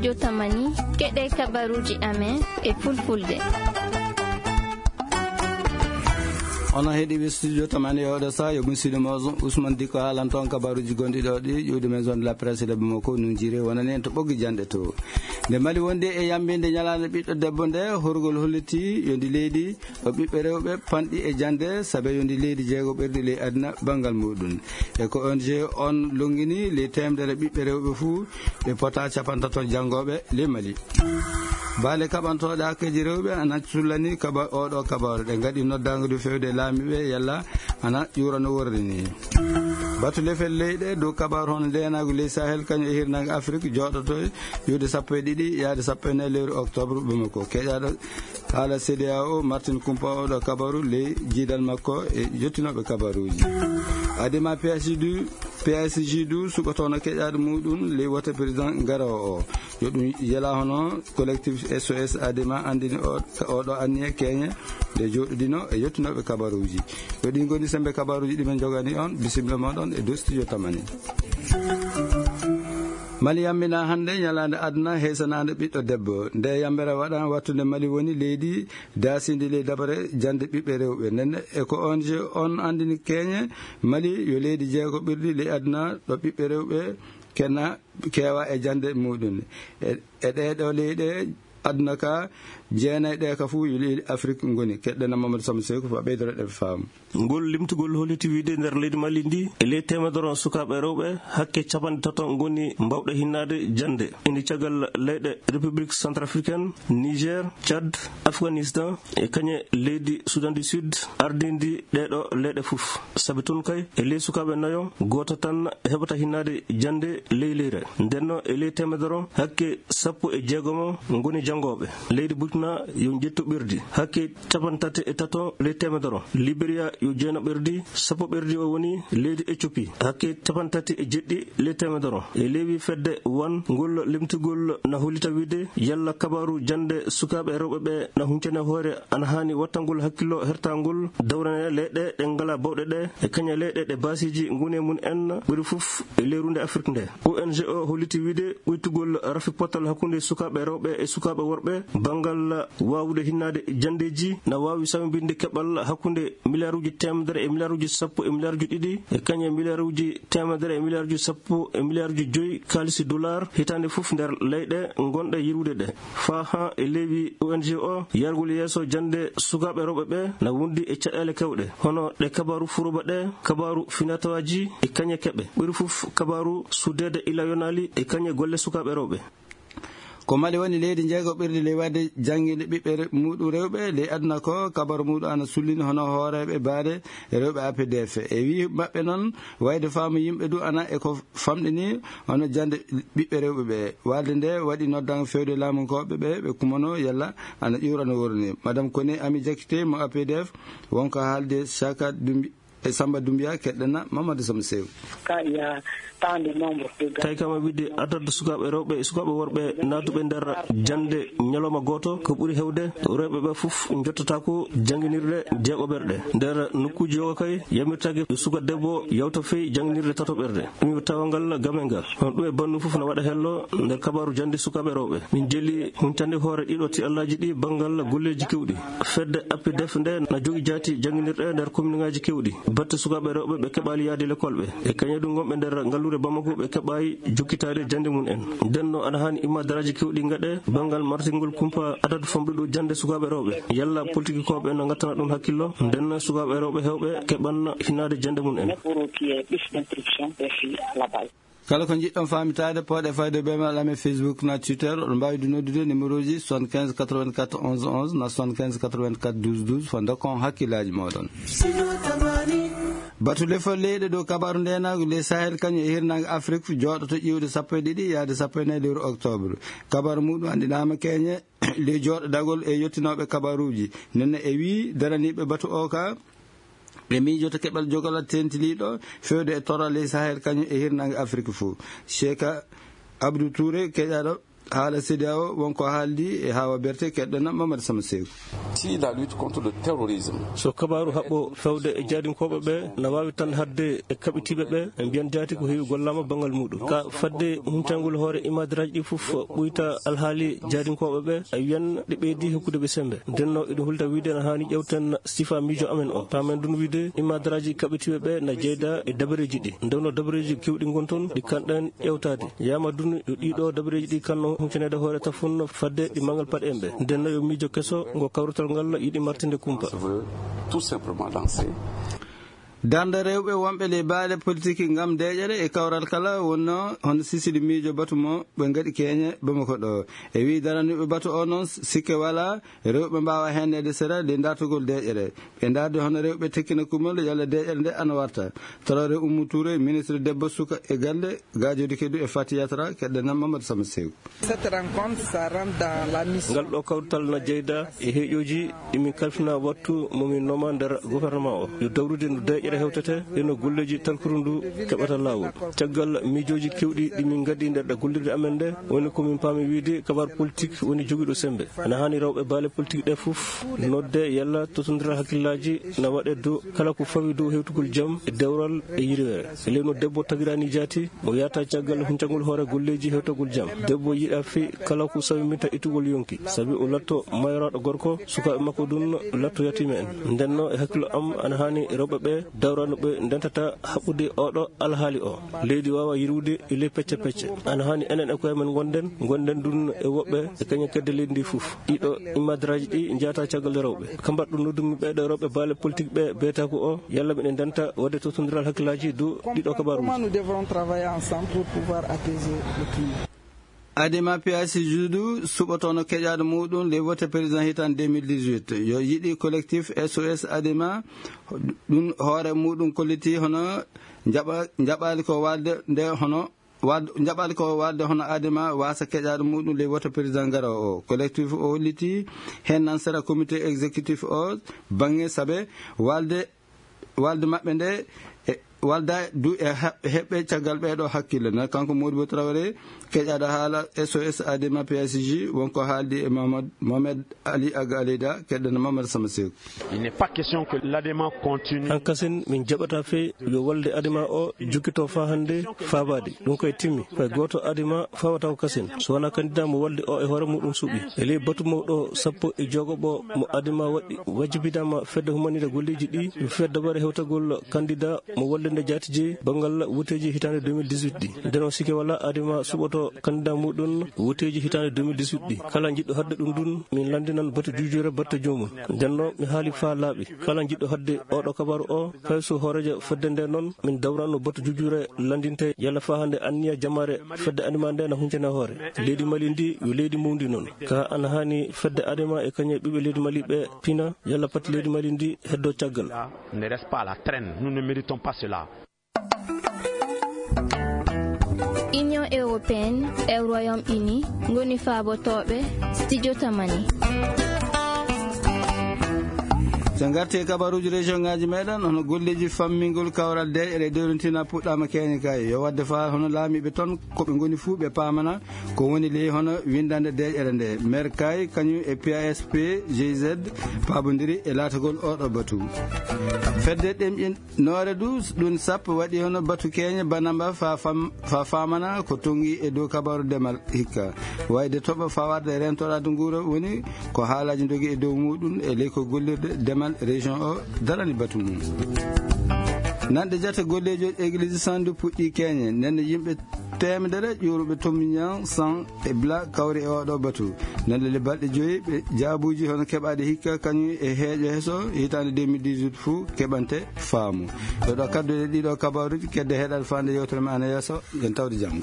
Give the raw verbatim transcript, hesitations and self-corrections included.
Jotamani, keɗe kabaruji amen e fulfulde. Onon heɗiiɓe studio tamani e oɗo saha, yo musiɗɗo mo Ousmane Diko haalan toon kabaruji gonɗi ɗo ɗi ƴuwde maison de la presse de Bamako nun jire wonani en to ɓoggi janɗe to. Nde Mali wondi e yambinde ñalaande ɓiɗɗo debbo nde, horgol holliti yo ndi leydi o ɓiɓɓe rewɓe panɗi e jande, sabe yo ndi leydi jeego ɓerɗi ley aduna banngal muɗum. E ko O N G on longini ley temedere ɓiɓɓe rewɓe fuu ɓe pota capantato janngoɓe ley Mali. Baale kaɓantooɗe hakkeeji rewɓe ana cullani kaba-, oɗo kabaru. Ɗe ngaɗi noddaango du fewde laamiiɓe yalla ana ƴuura no worri ni. Batu lefel leyɗe dow kabaru hono ndeenaagu ley Sahel kañum e hirnaange Afrik jooɗoto ƴuwde sappo e ɗiɗi yaade sappo e nayi lewru octobre Bamako. Keƴaaɗo haala C D A O, Martin Kumpa, oɗo kabaru ley jiidal makko e yottinooɓe kabaruuji. Adima P S G du, P S G du suɓotoono keƴaaɗo muɗum ley wote président garowo o. Yo ɗum yela hono collectif S O S Adima andini o, oɗo anniya keñe nde jooɗodino e yottinooɓe kabaruuji. Yo ɗin ngoni sembe kabaruuji ɗi men jogani on, bisimilla moɗon e dow studio tamani. Mali yammina hannde ñalaande aduna heesanaande ɓiɗɗo debbo. Nde yambere waɗa wattude Mali woni leydi daasindi ley dabare jande ɓiɓɓe rewɓe. Nden e ko O N G on andini keñe Mali yo leydi jeego ɓirɗi ley aduna ɗo ɓiɓɓe rewɓe kena keewa e jande muɗum. E, e ɗee ɗo leyɗe aduna ka jeenay ɗe ka fuu yo leydi Afrik ngoni. Keɗɗena Mamadou Samba Sekou fa ɓeydoro ɗe faamu. Ngol limtugol holliti wiide nder leydi Mali ndi, e ley temedere sukaaɓe rewɓe, hakke capanɗe tato ngoni mbawɗe hinnaade jannde. Indi caggal leyɗe République Centrafricaine, Niger, Tchad, Afghanistan, e kañe leydi Soudan du Sud, ardindi ɗee ɗo leyɗe fof. Sabi toon kay, e ley sukaaɓe nayo, gooto tan heɓata hinnaade jannde ley leyre. Ndenno, e ley temedere, hakke sappo e jeegomo ngoni janngooɓe. Leydi Burkina yo njettu ɓerdi, hakke capanɗe tati e tato ley temedere. Liberia yo jeeno ɓerdi, sappo ɓerdi o woni leydi Ethiopie, hakke capanɗe tati e jeɗɗi ley temedere. E leewi fedde wan ngol limtugol na hollita wiide yalla kabaru jannde sukaaɓe rewɓe ɓe na huncane hoore ana haani wattangol hakkillo hertangol dawrane leyɗe ɗe ngala bawɗe ɗe e kañe leyɗe ɗe baasiiji ngoni e mum en ɓuri fof e ley runde Afrik nde. O N G o holliti wiide ɓuytugol rafi potal hakkunde sukaaɓe rewɓe e sukaaɓe worɓe banngal waawude hinnaade janndeeji na waawi sawmbinde keɓal hakkunde miliyaaruuji teemedere e miliyaaruuji sappo e miliyaaruuji ɗiɗi e kañe miliyaaruuji teemedere e miliyaaruuji sappo e miliyaaruuji joyi kaalisi dollar hitaande fof nder leyɗe ngonɗe yirwude ɗe. Faa haa e leewi O N G o yargol yeeso jannde sukaaɓe rewɓe ɓe na wondi e caɗeele kewɗe, hono ɗe kabaaru furuba ɗe, kabaaru finatawaaji e kañe keɓe. Ɓuri fof kabaaru suddeede ila yonaali e kañe golle sukaaɓe rewɓe. Ko Mali woni leydi njeego ɓirdi ley waɗde jannginde ɓiɓɓe re-, muɗum rewɓe ley aduna ko, kabaru muɗum ana sullini hono hooreeɓe baade rewɓe A P D F. E wii maɓɓe noon, wayde faamu yimɓe du ana e ko famɗini hono jannde ɓiɓɓe rewɓe ɓe. Waalde nde waɗi noddaango fewde laamunkooɓe ɓe, ɓe kumano yalla ana ƴuura no worri ni. Madame Koné Ami Diakité mo A P D F, wonko haalde Saka Dumbi-, e Samba Doumbia, keɗɗena Mamadou Samba Sew. Quand il y a tant de nombre de gars. Tawi kam a wiide adadu sukaaɓe rewɓe e sukaaɓe worɓe naatuɓe nder jannde ñalawma gooto, ko ɓuri heewde rewɓe ɓe fof njottataako jannginirɗe jeegoɓerɗe. Nder nokkuuji o kay, yamirtaake suka debbo yawta fey jannginirɗe tatoɓerɗe. Ɗum yo tawa ngal game ngal. Hono ɗum e bannu fof na waɗa hello nder kabaaru jannde sukaaɓe rewɓe. Min jeli huntande hoore ɗiɗo ti Allaaji ɗi banngal golleeji keewɗi. Fedde A P D F nde na jogi jaati jannginirɗe nder kominŋaaji keewɗi. Batte sukaaɓe rewɓe ɓe keɓaali yahde lekol ɓe. E kañe ɗum wonɓe nder ngalluure Bamako ɓe keɓaali jokkitaade jannde mum en. Nden no ana haani imma daraaji keewɗi ngaɗe banngal martingol kumpa adadu famɗuɗo jannde sukaaɓe rewɓe. Yalla politikikooɓe no ngattana ɗum hakkillo? Nden sukaaɓe rewɓe heewɓe keɓan hinnaade jannde mum en. Kala ko njiɗɗon faamitaade, pooɗe fayde be mail amen Facebook na Twitter. Oɗon mbaawi du noddude numéro ji soixante-quinze quatre-vingt-quatre onze onze na soixante-quinze quatre-vingt-quatre douze douze, fo ndokkon hakkillaaji mooɗon. Batu lefol leyɗe dow kabaaru ndeenaagu ley Sahel kañum e hirnaange Afrik jooɗoto ƴiwde sappo e ɗiɗi yaade sappo e nayi lewru octobre. Kabaaru muɗum anndinaama keñe ley jooɗodagol e yottinooɓe kabaaruuji. Nenne e wii daraniiɓe batu o ka ɓe miijoto keɓal jogal tentiliiɗo fewde e torra ley Sahel kañum e hirnaange Afrik fof. Cheikh Abdou Touré, keƴaaɗo Haala C D A O won ko haaldi e Hawa Berte, keɗɗen Mamadou Sama Seeku. Si la lutte contre le terrorisme. So kabaaru haɓɓo fewde e jaadinkooɓe ɓe na waawi tan haɗde e kaɓitiiɓe ɓe, ɓe mbiyan jaati ko heewi gollaama banngal muuɗum. Ka fadde huncangol hoore imaadaraaji ɗi fof ɓuyta alhaali jaadinkooɓe ɓe, a wiyan ɗi ɓeydi hokkude ɓe semmbe. Ndennoo eɗum hulta wiide na haani ƴeewten sifa miijo amen o. Paamen ɗum wiide imaadaraaji kaɓitiiɓe ɓe na jeyda e dabareeji ɗi. Ndewno dabareeji keewɗi ngon toon ɗi kanɗen ƴeewtaade. Yama dun yo ɗiɗo dabareeji ɗi kanno huncanaade hoore tafun fadde ɗi mangal paɗe en ɓe. Nden no yo miijo keso ngo kawrital ngal yiɗi martinde kumpa. Tout simplement lancé. Darnde rewɓe wonɓe ley baale politique ngam deeƴere e kawral kala wonno hono sisili miijo batu mo ɓe ngaɗi keñe Bamako ɗo. E wi daraniɓe batu o noon sikke wala rewɓe mbawa henneede sera ley dartugol deeƴere. Ɓe ndaardi hono rewɓe tekkina kumol yalla deeƴere nde ana warta. Toroore Oumou Touré, ministre debbo, suka e galle, gaajodi kedu e Fati Yatra, keɗɗe nan Mamadou Sama Sew. Cette rencontre, ça rentre dans la mission. Ngal ɗo kawrital na jeyda e heeƴooji ɗi min kalfina wattu mo min noma nder gouvernement o. Yo dawrude no deeƴere hewtete e no golleeji talkuru ndu keɓata laawol. Caggal miijooji keewɗi ɗi min ngaddi nder ɗe gollirde amen nde, woni ko min paami wiide kabar politique woni jogiiɗo sembe. Ana haani rewɓe baale politique ɗe fof nodde yalla totondiral hakkillaaji na waɗe dow kala ko fawi dow hewtugol jam e dewral e yirweere. E leyno debbo tagiraani jaati, mo yahata caggal huncagol hoore golleeji hewtagol jam. Debbo yiɗa fi kala ko sawi minta ittugol yonki, sabi o latto mayraaɗo gorko, sukaaɓe makko ɗum latto yatiime en. Ndenno e hakkillo am ana haani rewɓe ɓe dawrano ɓe ndentata haɓɓude oɗo alhaali o. Leydi waawa yirwude e ley pecce pecce. Ana haani enen e koye men ngonden, ngonden ɗum e woɓɓe e kañum kedde leydi ndi fof. Ɗiɗo imadraaji ɗi njahata caggal rewɓe. Ka mbaɗɗo noddumi ɓeɗo rewɓe baale politique ɓe beeta ko o, yalla miɗen ndenta waɗde totondiral hakkillaaji dow ɗiɗo kabaaruuji. Comment nous devrons travailler ensemble pour pouvoir apaiser le climat? Adema P I C juudu suɓotono keƴaɗo muɗum ley wote président hitan deux mille dix-huit. Yo yiɗi collectif S O S Adema ɗum hoore muɗum kolliti hono njaɓa-, njaɓali ko walde nde hono wad-, njaɓali ko walde hono Adema wasa keƴaɗo muɗum ley wote président garowo o. Collectif o holliti hen nan sera comité exécutif o bangge sabe walde, walde maɓɓe nde e walda du e ha-, heɓɓe caggal ɓeɗo hakkille. Na kanko Modibo Traoré, keƴaɗo haala S O S Adema P S G, wonko haaldi e Mohamed, Mohamed Ali Aga Aleyda, keɗɗen Mamadou Sama Seku. Il n'est pas question que l'Adema continue. Hankasin min jaɓata fe yo walde Adema o jukkito fa hande fa baadi. Ɗum koye timmi. Fay gooto Adema fawata ko kasin. So wona candidat mo walde o e hoore muɗum suɓi. E ley batu mawɗo sappo e jogoɓo mo Adema waɗi wajibinama fedde humanire golleji ɗi, fedde dabare hewtagol candidat mo walde nde jaati jeyi banngal woteji hitande deux mille dix-huit ɗi. Nden o sikke wala Adema suɓoto candidat muɗum woteji hitande deux mille dix-huit ɗi. Kala jiɗɗo hadde ɗum ɗum, min landinan batu juujure batte joomum. Nden no mi haali fa laaɓi. Kala jiɗɗo hadde oɗo kabaru o, fay so hoorejo fedde nde noon, min dawranno batu juujure landinte yalla fa hande anniya jamaare fedde Adema nde na huncana hoore. Leydi Mali ndi yo leydi mawndi noon. Ka ana haani fedde Adema e kañum e ɓiɓɓe leydi Mali ɓe pina yalla pati leydi Mali ndi heddo caggal. Ne reste pas à la traîne. Nous ne méritons pas cela. Union européenne e Royaume Uni ngoni faabotooɓe studio Tamani. So ngarti e kabaruuji région ngaji meɗen, hono golleji fammingol kawral deeƴere e dewrintina puɗɗama keñe kay. Yo wadde fa hono laamiɓe toon ko ɓe ngoni fuu ɓe paamana ko woni ley hono windande deeƴere nde. Maire kay kañum e P A S P G Z paabodiri e laatagol oɗo batu. Fedde ɗemƴin Noore du, ɗum sappo waɗi hono batu keeñe banamba fa fam-, fa famana ko tongi e dow kabaru demal hikka. Wayde toɓo fawarde e rentoraade nguura woni ko haalaji dogi e dow muɗum e ley ko gollirde demal région o darani batu mum. Nanɗe jate gollejo église sandu puɗɗi keeñe, nden yimɓe teemedere ƴuuruɓe Tominyan san e Bla kawri e oɗo batu. Nande le balɗe joyi ɓe jaabuji hono keɓaɗe hikka kañum e heeƴo heso hitande deux mille dix-huit fuu keɓante faamu. Ɗo ɗo kadduɗe ɗiɗo kabaruji kedde heɗal fande yewtere ma ana yeeso, yen tawde janngo.